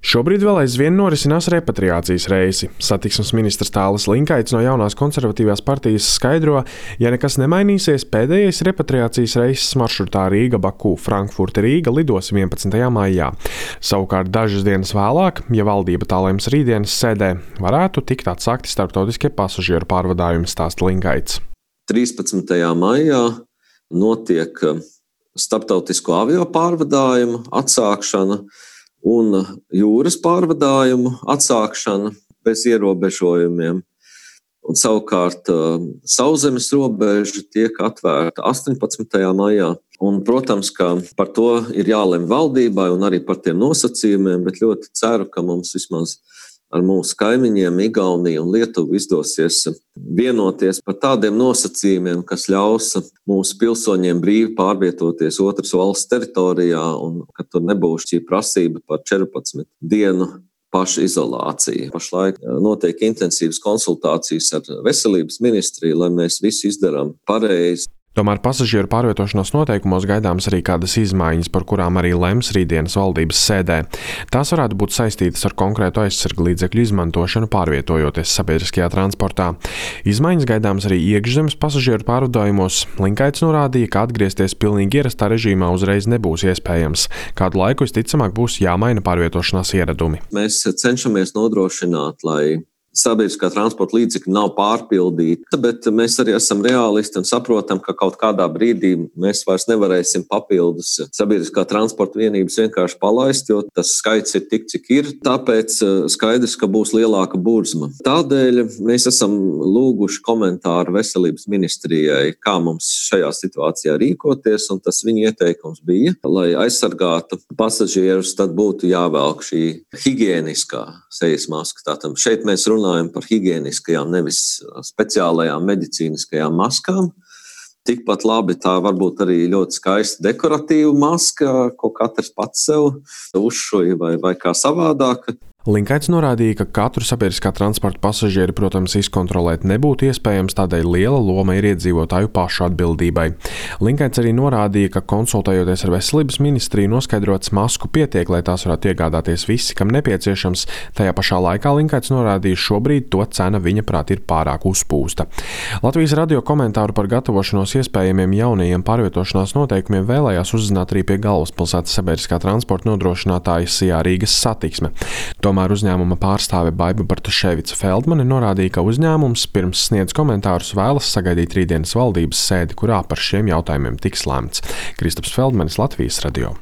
Šobrīd vēl aizvien norisinās repatriācijas reisi. Satiksmes ministrs Tālis Linkaits no Jaunās konservatīvās partijas skaidro, ja nekas nemainīsies, pēdējais repatriācijas reiss maršrutā Rīga-Baku-Frankfurte-Rīga lidos 11. maijā. Savukārt dažas dienas vēlāk, ja valdība tā lems rītdienas sēdē, varētu tikt atsākti starptautiskie pasažieru pārvadājumi, stāsta Linkaits. 13. maijā notiek starptautisko avio pārvadājumu atsākšana un jūras pārvadājumu atsākšana bez ierobežojumiem. Un savukārt sauszemes robeža tiek atvērta 18. maijā. Un, protams, ka par to ir jālemj valdībai un arī par tiem nosacījumiem, bet ļoti ceru, ka mums vismaz ar mūsu kaimiņiem Igauniju un Lietuvu izdosies vienoties par tādiem nosacījumiem, kas ļaus mūsu pilsoņiem brīvi pārvietoties otras valsts teritorijā un ka tur nebūs šī prasība par 14 dienu pašizolāciju. Pašlaik notiek intensīvas konsultācijas ar veselības ministriju, lai mēs visu izdarām pareizi. Tomēr pasažieru pārvietošanās noteikumos gaidāmas arī kādas izmaiņas, par kurām arī lems rītdienas valdības sēdē. Tās varētu būt saistītas ar konkrētu aizsargu līdzekļu izmantošanu pārvietojoties sabiedriskajā transportā. Izmaiņas gaidāmas arī iekšzemes pasažieru pārvadājumos. Linkaits norādīja, ka atgriezties pilnīgi ierastā režīmā uzreiz nebūs iespējams. Kādu laiku visticamāk būs jāmaina pārvietošanās ieradumi. Mēs cenšamies nodrošināt, lai sabiedriskā transporta līdzekļi nav pārpildīti, bet mēs arī esam reālisti un saprotam, ka kaut kādā brīdī mēs vairs nevarēsim papildus sabiedriskā transporta vienības vienkārši palaist, jo tas skaits ir tik, cik ir. Tāpēc skaidrs, ka būs lielāka burzma. Tādēļ mēs esam lūguši komentāru veselības ministrijai, kā mums šajā situācijā rīkoties, un tas viņa ieteikums bija, lai aizsargātu pasažierus, tad būtu jāvelk šī higiēniskā sejas maska. Tātad šeit mēs runājam par higiēniskajām, nevis speciālajām medicīniskajām maskām. Tikpat labi tā varbūt arī ļoti skaista dekoratīva maska, ko katrs pats sev uzšuja vai kā savādāk. Linkaits norādīja, ka katru sabiedriskā transporta pasažieri, protams, izkontrolēt nebūtu iespējams, tādēļ liela loma ir iedzīvotāju pašu atbildībai. Linkaits arī norādīja, ka konsultējoties ar veselības ministriju noskaidrots masku pietiek, lai tās varētu iegādāties visi, kam nepieciešams. Tajā pašā laikā Linkaits norādīja, šobrīd to cena viņa prāt ir pārāk uzpūsta. Latvijas radio komentāru par gatavošanos iespējamiem jaunajiem pārvietošanās noteikumiem vēlējās uzzināt arī pie galvaspilsētas sabiedriskā transporta nodrošinātājas Sijā Rīgas Satiksme. Tomēr uzņēmuma pārstāve Baiba Bartaševica-Feldmane norādīja, ka uzņēmums pirms sniedz komentārus vēlas sagaidīt rītdienas valdības sēdi, kurā par šiem jautājumiem tiks lemts. Kristaps Feldmanis, Latvijas radio.